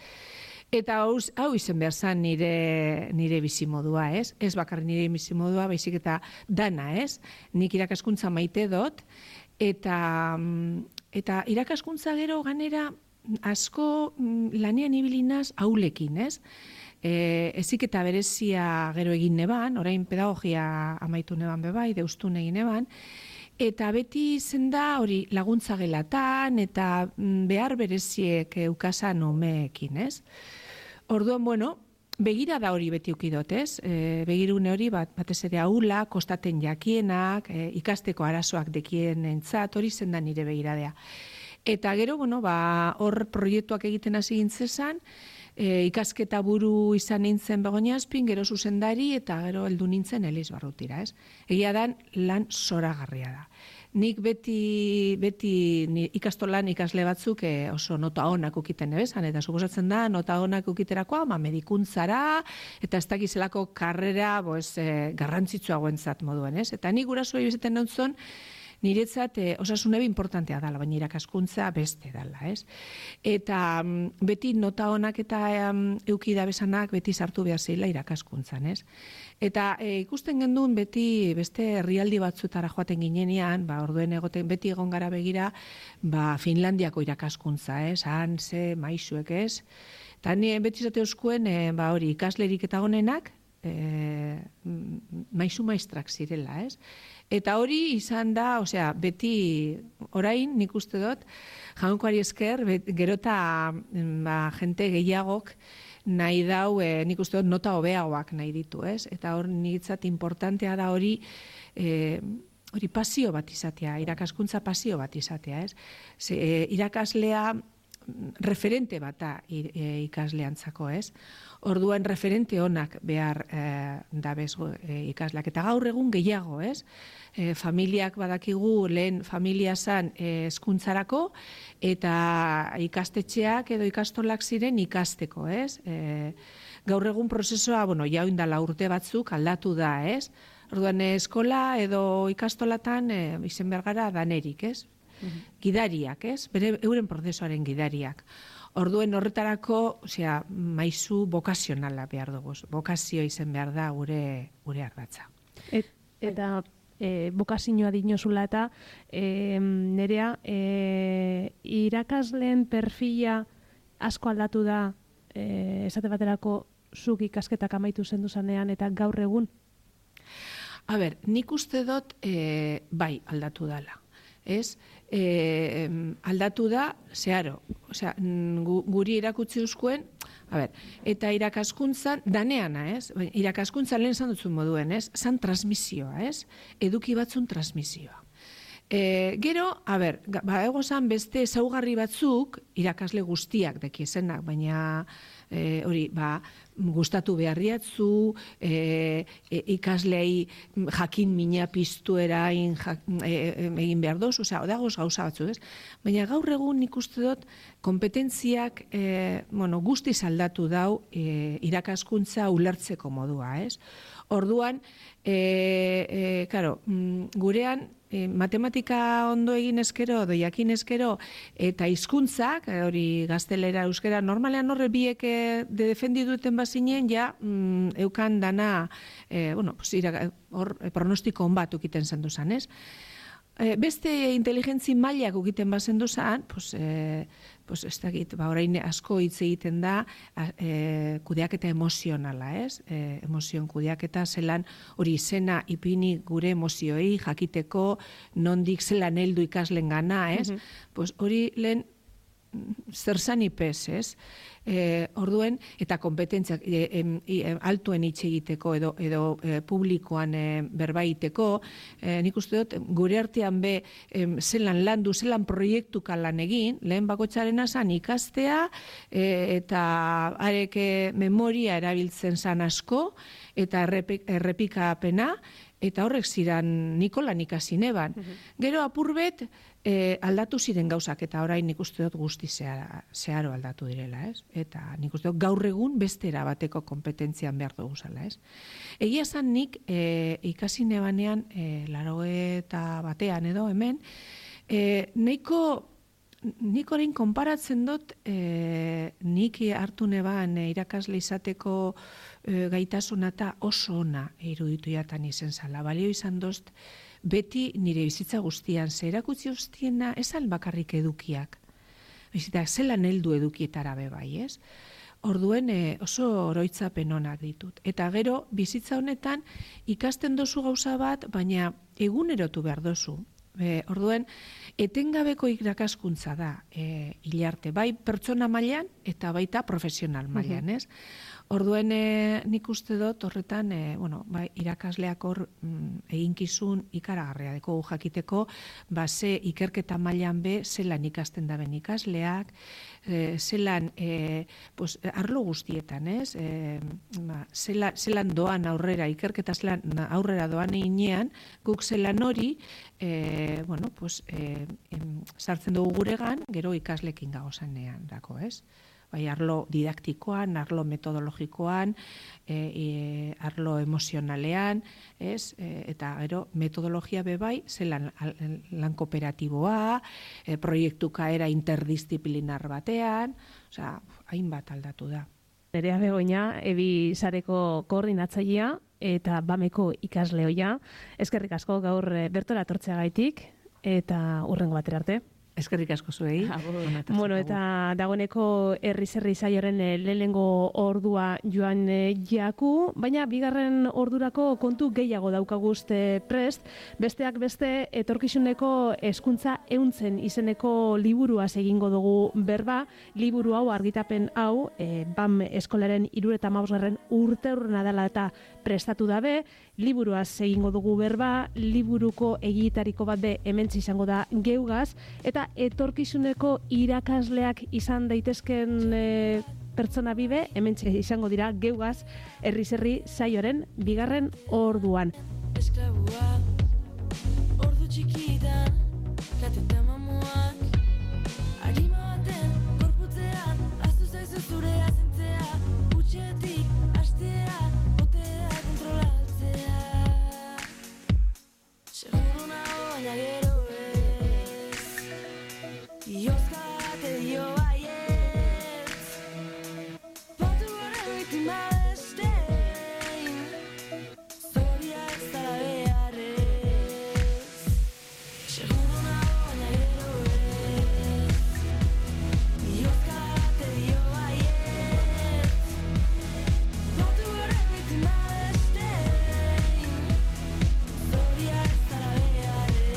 Eta hau, hau izen behar zan nire, nire bizimodua, ez? Ez bakar nire bizimodua, baizik eta dana, ez? Nik irakaskuntza maite dut, eta, eta irakaskuntza gero ganera asko lanean ibilinaz haulekin, ez? E, ezik eta berezia gero egin neban, orain pedagogia amaitu neban bebai, deustun egin neban, eta beti izen da hori laguntza gelatan eta behar bereziek eukasan umeekin, ez? Orduan, bueno, begira da hori beti ukidot, ez? E, begirune hori bat, batez ere aula, kostaten jakienak, e, ikasteko arazoak dekien entzat, hori zen da nire begiradea. Eta gero, bueno, ba, hor proiektuak egiten hasi gintzezan, e, ikasketa buru izan nintzen Begoña Azpin, gero zuzendari, eta gero heldu nintzen Eliz Barrutira, ez? Egia dan, lan zoragarria da. Nik beti, beti ni, ikastolan ikasle batzuk e, oso nota onak ukiten ebezan, eta suposatzen da, nota onak ukiterakoa, ma medikuntzara, eta ez dakizelako karrera, boez, e, garrantzitsua guentzat moduen, ez? Eta nik gurasoa bizeten nontzon, niretzat eh, osasunebe importantea dala, baina irakaskuntza beste dala, ez? Eta um, beti nota honak eta um, eukida besanak beti sartu behar zela irakaskuntzan, ez? Eta e, ikusten gendun beti beste herrialdi batzutara joaten ginenean, ba, orduen egoten beti egon gara begira, ba, Finlandiako irakaskuntza, ez? Han ze maisuek, ez? Eta ni beti zate euskuen, e, ba, hori, ikaslerik eta honenak, e, maisu maistrak zirela, ez? Eta hori izan da, osea, beti orain nik uste dut, jaunkoari esker, bet, gerota ba, jente gehiagok nahi dau, e, nik uste dut nota hobeagoak nahi ditu, ez? Eta hor niretzat importantea da hori, e, hori pasio bat izatea, irakaskuntza pasio bat izatea, ez? Ze, e, irakaslea referente bata e, ikasleantzako, ez? Orduan referente onak behar e, dabez e, ikasleak. Eta gaur egun gehiago, ez? E, familiak badakigu lehen familia zan e, hezkuntzarako eta ikastetxeak edo ikastolak ziren ikasteko, ez? E, gaur egun prozesua, bueno, ja oindala urte batzuk aldatu da, ez? Orduan eskola edo ikastolatan e, izen behar gara danerik, ez? Gidariak, ez? Bere euren prozesuaren gidariak. Orduen horretarako, osea, maizu bokazionala behar dugu. Bokazio izen behar da gure gure ardatza. Et, eta e, bokazioa dinozula eta e, nerea e, irakasleen perfila asko aldatu da e, esate baterako zuk ikasketak amaitu zendu zanean eta gaur egun? A ber, nik uste dut e, bai aldatu dala. Ez, e, aldatu da, zeharo, osea, gu, guri erakutzi uzkuen, a ber, eta irakaskuntzan, daneana, ez, irakaskuntzan lehen zan dutzun moduen, ez, zan transmisioa, ez, eduki batzun transmisioa. E, gero, a ber, ba, egozan beste ezaugarri batzuk, irakasle guztiak dekiezenak, baina e, hori, ba, gustatu beharriatzu, e, e, ikaslei jakin mina piztu erain jak, e, egin behar doz, osea, odagoz gauza batzu, ez? Baina gaur egun nik uste dut kompetentziak e, bueno, guztiz aldatu dau e, irakaskuntza ulertzeko modua, ez? Orduan, e, e, karo, gurean, E, matematika ondo egin eskero, doiakin eskero, eta hizkuntzak, hori gaztelera, euskera, normalean horre biek de defendi duten bazinen, ja, mm, eukan dana, e, bueno, pues, ira, hor, pronostiko on bat ukiten zendu zan, ez? e, beste inteligentzi mailak egiten bazen duzan, pues, e, pues ez dakit, ba, orain asko hitz egiten da e, kudeaketa emozionala, ez? E, emozion kudeaketa zelan hori izena ipini gure emozioei jakiteko nondik zelan heldu ikaslen gana, ez? Mm-hmm. Pues hori lehen zer zan ipez, ez? E, orduen, eta kompetentziak e, e, e, altuen hitz egiteko edo, edo e, publikoan e, berbaiteko, e, nik uste dut, gure artean be e, zelan landu, zelan proiektuka lan egin, lehen bakotxaren zan ikastea, e, eta areke memoria erabiltzen zan asko, eta errepik, errepikapena, eta horrek ziran Nikolan ikasi neban. Mm-hmm. Gero apurbet e, aldatu ziren gauzak, eta orain nik uste dut guzti zeharo, zeharo aldatu direla, ez? Eta nik uste dut gaur egun beste erabateko kompetentzian behar dugu zala, ez? Egia zan nik e, ikasi nebanean, e, laro eta batean edo hemen, e, neiko nik orain konparatzen dut, e, nik hartu neban e, irakasle izateko e, gaitasuna eta oso ona iruditu jatan izen zala. Balio izan dozt, beti nire bizitza guztian, ze erakutzi guztiena, esan bakarrik edukiak. Bizita, zelan heldu edukietara be bai, ez? Orduen e, oso oroitzapen onak ditut. Eta gero, bizitza honetan, ikasten dozu gauza bat, baina egunerotu behar dozu. E, orduen, etengabeko irakaskuntza da e, hilarte, bai pertsona mailan eta baita profesional mailan, ez? Orduen e, nik uste dut horretan, e, bueno, bai, irakasleak hor mm, eginkizun ikaragarria deko jakiteko, ba, ze ikerketa mailan be, zelan ikasten daben ikasleak, e, zelan, e, pues, arlo guztietan, ez? E, ba, zelan, zelan doan aurrera, ikerketa zelan aurrera doan einean, guk zelan hori, e, bueno, pues, e, em, sartzen dugu guregan, gero ikaslekin gagozanean dako, ez? Bai, arlo didaktikoan, arlo metodologikoan, e, e, arlo emozionalean, ez? E, eta gero metodologia bebai, zelan lan kooperatiboa, e, proiektuka era interdisziplinar batean, osea, hainbat aldatu da. Nerea Begoña, Ebi sareko koordinatzailea eta Bameko ikasleoia. Eskerrik asko gaur bertora etortzeagaitik eta hurrengo batera arte. Eskerrik asko zuei. Bueno, eta dagoeneko herri-zerri saioaren lehenengo ordua joan jaku, baina bigarren ordurako kontu gehiago daukaguzte prest, besteak beste etorkizuneko hezkuntza ehuntzen izeneko liburuaz egingo dugu berba, liburu hau argitapen hau, e, BAM eskolaren hirurogeita hamabosgarren urteurrena dela eta prestatu dabe, liburuaz egingo dugu berba, liburuko egitariko bat be hementsi izango da geugaz, eta etorkizuneko irakasleak izan daitezken e, pertsona bibe, hementsi izango dira geugaz herri-zerri saioaren bigarren orduan. Esklabua, ordu txikitan, kateta mamuak, harima baten, gorputzean, aztu zaizu zure azentzea, utxetik, astea, botea, kontrolatzea. Seguro nago baina gero ez, iozka te dio baietz, batu gore biktima bestein, zoriak zara beharrez. Seguro nago baina gero ez, iozka te dio baietz, batu gore biktima bestein, zoriak zara beharrez.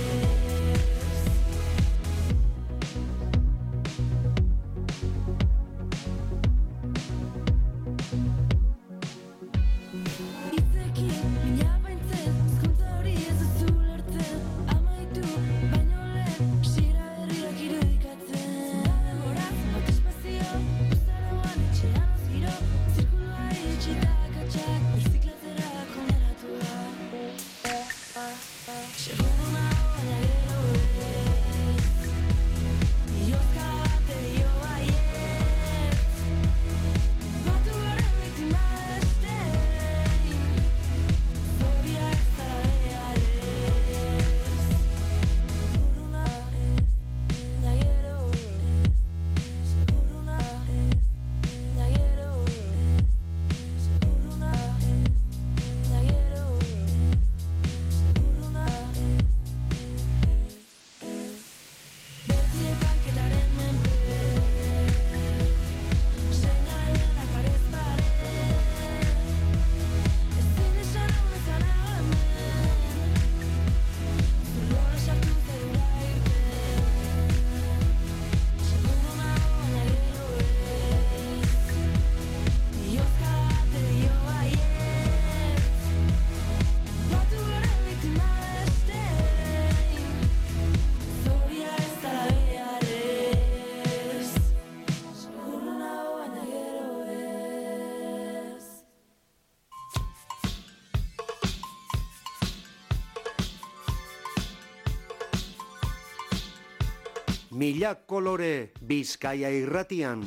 Mila kolore Bizkaia irratian.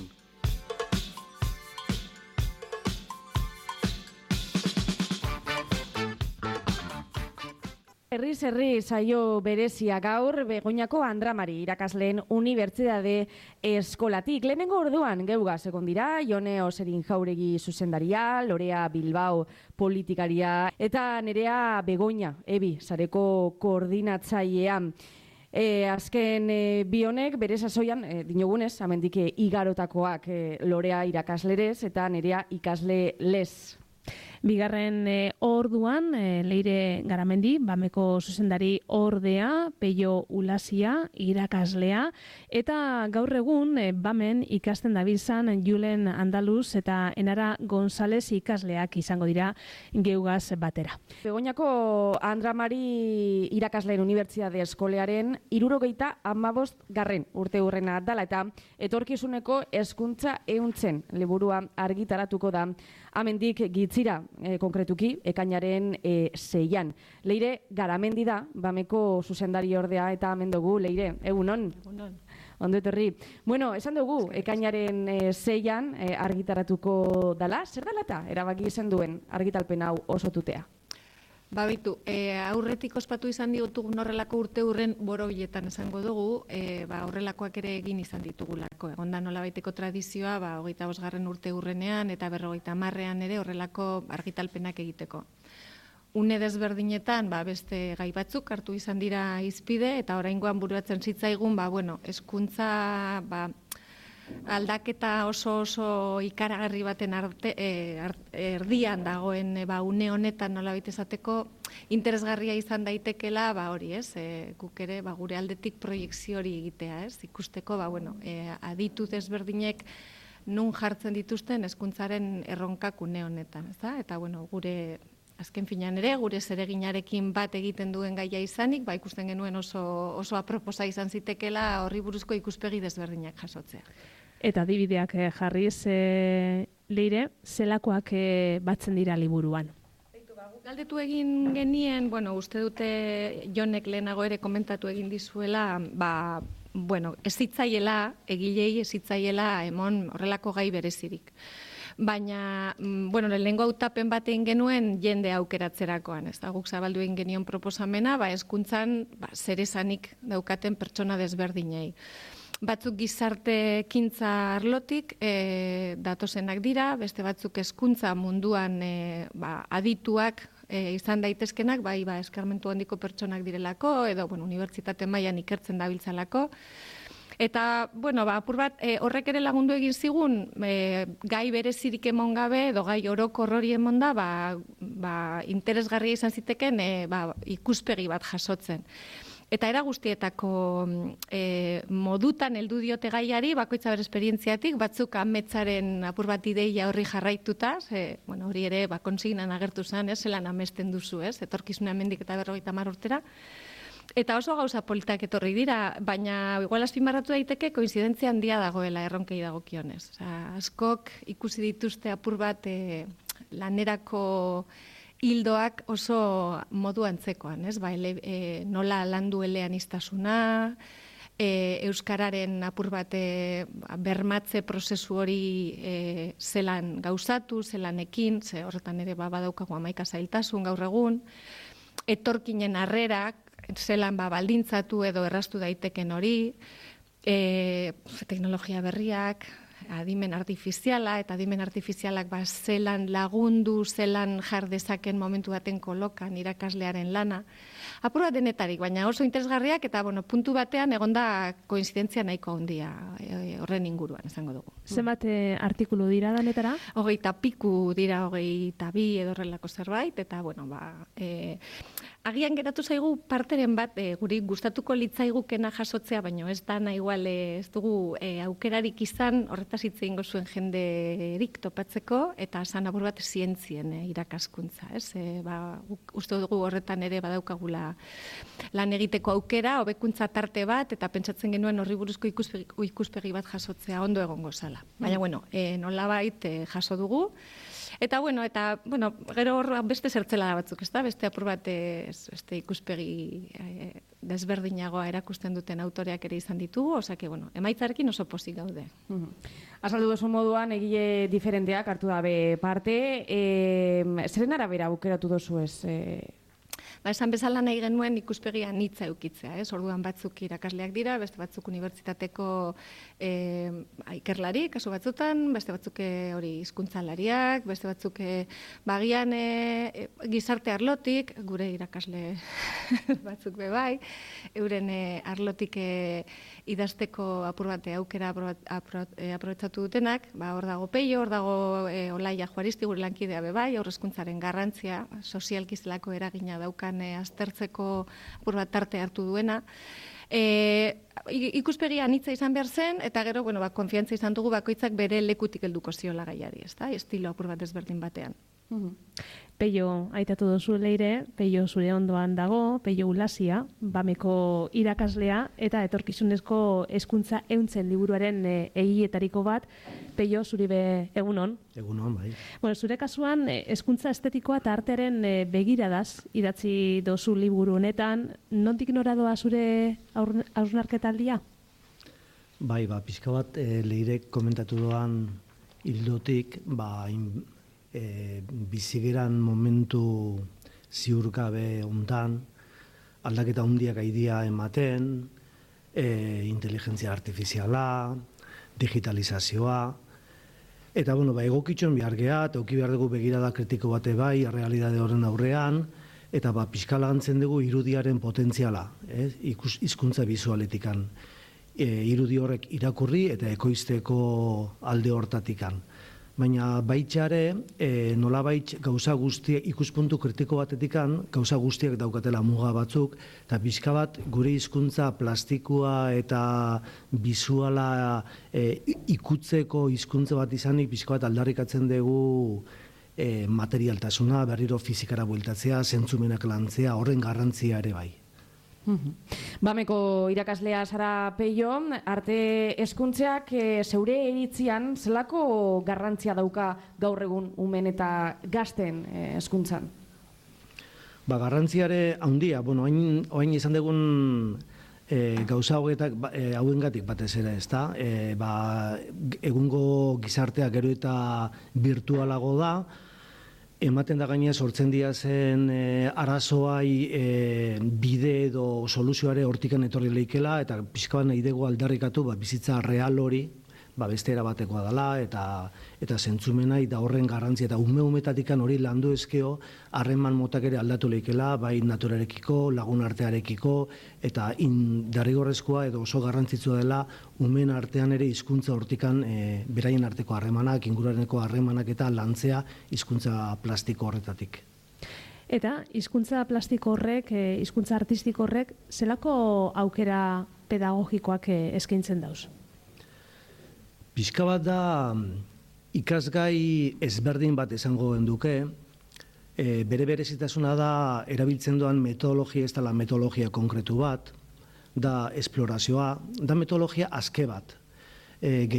Herriz herri saio berezia gaur Begoñako Andramari irakasleen unibertsitate eskolatik. Lehenengo orduan geugaz egon dira, Jone Oserin Jauregi zuzendaria, Lorea Bilbao politikaria eta Nerea Begoña, Ebi, sareko koordinatzailea. E, azken e, bi honek bere sasoian, e, dinogunez, amendik igarotakoak e, Lorea irakaslerez eta Nerea ikasle lez. Bigarren e, orduan, e, Leire Garamendi, Bameko zuzendari ordea, Peio Ulasia, irakaslea, eta gaur egun e, Bamen ikasten dabiltzan Julen Andaluz eta Enara González ikasleak izango dira geugaz batera. Begoñako Andramari irakasleen unibertsitate eskolearen hirurogeita hamabost garren urte hurrena dala eta etorkizuneko hezkuntza ehuntzen liburua argitaratuko da amendik gitzira. E, konkretuki, ekainaren e, seian. Leire Garamendi da, Bameko zuzendari ordea eta hemen dugu, Leire, egunon? Egunon. Ondo etorri. Bueno, esan dugu, ekainaren e, seian e, argitaratuko dala, zer dala eta erabaki izan duen argitalpen hau osotutea? Ba, bitu, e, aurretik ospatu izan ditugun horrelako urte hurren borobiletan esango dugu, e, ba, horrelakoak ere egin izan ditugulako. Egon da nolabaiteko tradizioa, ba, hogeita bosgarren urte hurrenean eta berrogeita hamarrean ere horrelako argitalpenak egiteko. Une desberdinetan, ba, beste gai batzuk hartu izan dira hizpide eta oraingoan buruatzen zitzaigun, ba, bueno, hezkuntza, ba, aldaketa oso oso ikaragarri baten arte, e, art, erdian dagoen e, ba, une honetan nolabait esateko interesgarria izan daitekela, ba hori, ez? E, guk ere ba, gure aldetik proiekzio hori egitea, ez? Ikusteko, ba bueno, e, aditu desberdinek nun jartzen dituzten hezkuntzaren erronkak une honetan, ezta? Eta bueno, gure azken finean ere, gure zereginarekin bat egiten duen gaia izanik, ba ikusten genuen oso oso aproposa izan zitekela horri buruzko ikuspegi desberdinak jasotzea. Eta adibideak eh, jarriz, eh, Leire, zelakoak eh, batzen dira liburuan? Galdetu egin genien, bueno, uste dute Jonek lehenago ere komentatu egin dizuela, ba, bueno, ez zitzaiela, egilei ez zitzaiela emon horrelako gai berezirik. Baina, bueno, lehenengo hautapen bat egin genuen jende aukeratzerakoan, ez da, guk zabaldu egin genion proposamena, ba, hezkuntzan ba, zeresanik daukaten pertsona desberdinei. Batzuk gizarte ekintza arlotik e, datozenak dira, beste batzuk hezkuntza munduan e, ba, adituak e, izan daitezkenak, bai ba, eskarmentu handiko pertsonak direlako, edo bueno, unibertsitate mailan ikertzen dabiltzalako. Eta, bueno, ba, apur bat, e, horrek ere lagundu egin zigun, e, gai berezirik emon gabe, edo gai orokor hori emon da, ba, ba, interesgarria izan ziteken e, ba, ikuspegi bat jasotzen. Eta era guztietako e, modutan heldu diote gaiari, bakoitza bere esperientziatik, batzuk ametzaren apur bat ideia horri jarraituta, ze, bueno, hori ere ba, konsignan agertu zen, ez, zelan amesten duzu, ez, etorkizuna hemendik eta berrogeita hamar urtera. Eta oso gauza politak etorri dira, baina igual azpimarratu daiteke koinzidentzia handia dagoela erronkei dagokionez. Osea, askok ikusi dituzte apur bat e, lanerako hildoak oso modu antzekoan, ez? Ba, ele, e, nola landu eleaniztasuna, e, euskararen apur bat e, bermatze prozesu hori e, zelan gauzatu, zelan ekin, ze horretan ere ba, badaukagu hamaika zailtasun gaur egun, etorkinen harrerak, zelan ba, baldintzatu edo erraztu daiteken hori, e, teknologia berriak, adimen artifiziala, eta adimen artifizialak ba, zelan lagundu, zelan jar dezaken momentu baten kolokan irakaslearen lana. Apur bat denetarik, baina oso interesgarriak eta bueno, puntu batean egonda koinzidentzia nahiko handia e, horren inguruan, esango dugu. Zenbat e, artikulu dira danetara? Hogeita piku dira, hogeita bi edo horrelako zerbait, eta bueno, ba... E, agian geratu zaigu parteren bat e, guri gustatuko litzaigukena jasotzea, baina ez da nahi igual e, ez dugu e, aukerarik izan horretaz hitz egingo zuen jenderik topatzeko eta esan apur bat zientzien e, irakaskuntza, ez? E, ba, uste dugu horretan ere badaukagula lan egiteko aukera, hobekuntza tarte bat eta pentsatzen genuen horri buruzko ikuspegi, ikuspegi bat jasotzea ondo egongo zala. Baina bueno, e, nolabait e, jaso dugu. Eta, bueno, eta, bueno, gero hor beste zertzela batzuk, ez da? Beste apur bat, ez, beste ikuspegi eh, desberdinagoa erakusten duten autoreak ere izan ditugu, osake, bueno, emaitzarekin oso pozik gaude. Azaldu duzu moduan, egile diferenteak hartu dabe parte, e, zeren arabera aukeratu dozu ez? E... Ba, esan bezala nahi genuen ikuspegia nitza eukitzea, ez? Orduan batzuk irakasleak dira, beste batzuk unibertsitateko e, ikerlari, kasu batzutan, beste batzuk hori hizkuntzalariak, beste batzuk e, bagian e, gizarte arlotik, gure irakasle batzuk be bai, euren e, arlotik e, idazteko apur bate aukera aprobetxatu dutenak, ba, hor dago Peio, hor dago e, Olaia Juaristi, gure lankidea be bai, aurrezkuntzaren garrantzia, sozialkizelako eragina daukan e, aztertzeko apur bat tarte hartu duena. E, ikuspegia anitza izan behar zen, eta gero, bueno, ba, konfiantza izan dugu bakoitzak bere lekutik helduko ziola gaiari, ez da? Estilo apur bat ezberdin batean. Peio aitatu duzu leire, Peio zure ondoan dago, Peio Ulasia, Bameko irakaslea eta etorkizunezko hezkuntza ehuntzen liburuaren e, egietariko bat. Peio, zuri be egunon. Egunon, bai. Bueno, zure kasuan hezkuntza estetikoa eta artearen e, begiradaz idatzi dozu liburu honetan, nondik nora doa zure hausnarketaldia? Bai, ba, pixka bat e, leirek komentatu doan hildotik, ba, in, E, bizigeran momentu ziurgabe hontan, aldaketa handiak aidia ematen, e, inteligentzia artifiziala, digitalizazioa, eta bueno, ba, egokitxon behar geha, eta auki behar dugu begirada kritiko bate bai, realidade horren aurrean, eta ba, pixkala gantzen dugu irudiaren potentziala, eh? Ikus, hizkuntza bizualetikan. E, irudi horrek irakurri eta ekoizteko alde hortatikan. Baina baitxare, e, nolabait gauza guztiak, ikuspuntu kritiko batetikan, gauza guztiak daukatela muga batzuk, eta pixka bat gure hizkuntza plastikoa eta bizuala e, ikutzeko hizkuntza bat izanik, pixka bat aldarrikatzen dugu e, materialtasuna, berriro fizikara bueltatzea, zentzumenak lantzea, horren garrantzia ere bai. Bameko irakaslea zara Peio, arte hezkuntzeak e, zeure iritzian zelako garrantzia dauka gaur egun umen eta gazten hezkuntzan? Ba, garrantziare handia, bueno, hain, hain izan dugun e, gauza hogetak e, hauengatik batez ere, ez da? E, ba, egungo gizartea gero eta virtualago da, ematen da gainea sortzen dira zen e, arazoai e, bide edo soluzioare hortikan etorri leikela, eta pixka bat nahi dugu aldarrikatu ba, bizitza real hori, ba, beste erabatekoa dela, eta eta zentzumena eta horren garrantzia, eta ume-umetatikan hori landu ezkeo, harreman motak ere aldatu leikela, bai naturarekiko, lagun artearekiko, eta derrigorrezkoa edo oso garrantzitsua dela, umen artean ere hizkuntza hortikan e, beraien arteko harremanak, inguruareneko harremanak eta lantzea hizkuntza plastiko horretatik. Eta hizkuntza plastiko horrek, hizkuntza artistiko horrek, zelako aukera pedagogikoak eskaintzen dauz? Pixka bat da ikasgai ezberdin bat esango genduke, e, bere berezitasuna da erabiltzen doan metodologia, ez dela metodologia konkretu bat, da esplorazioa, da metodologia aske bat. E,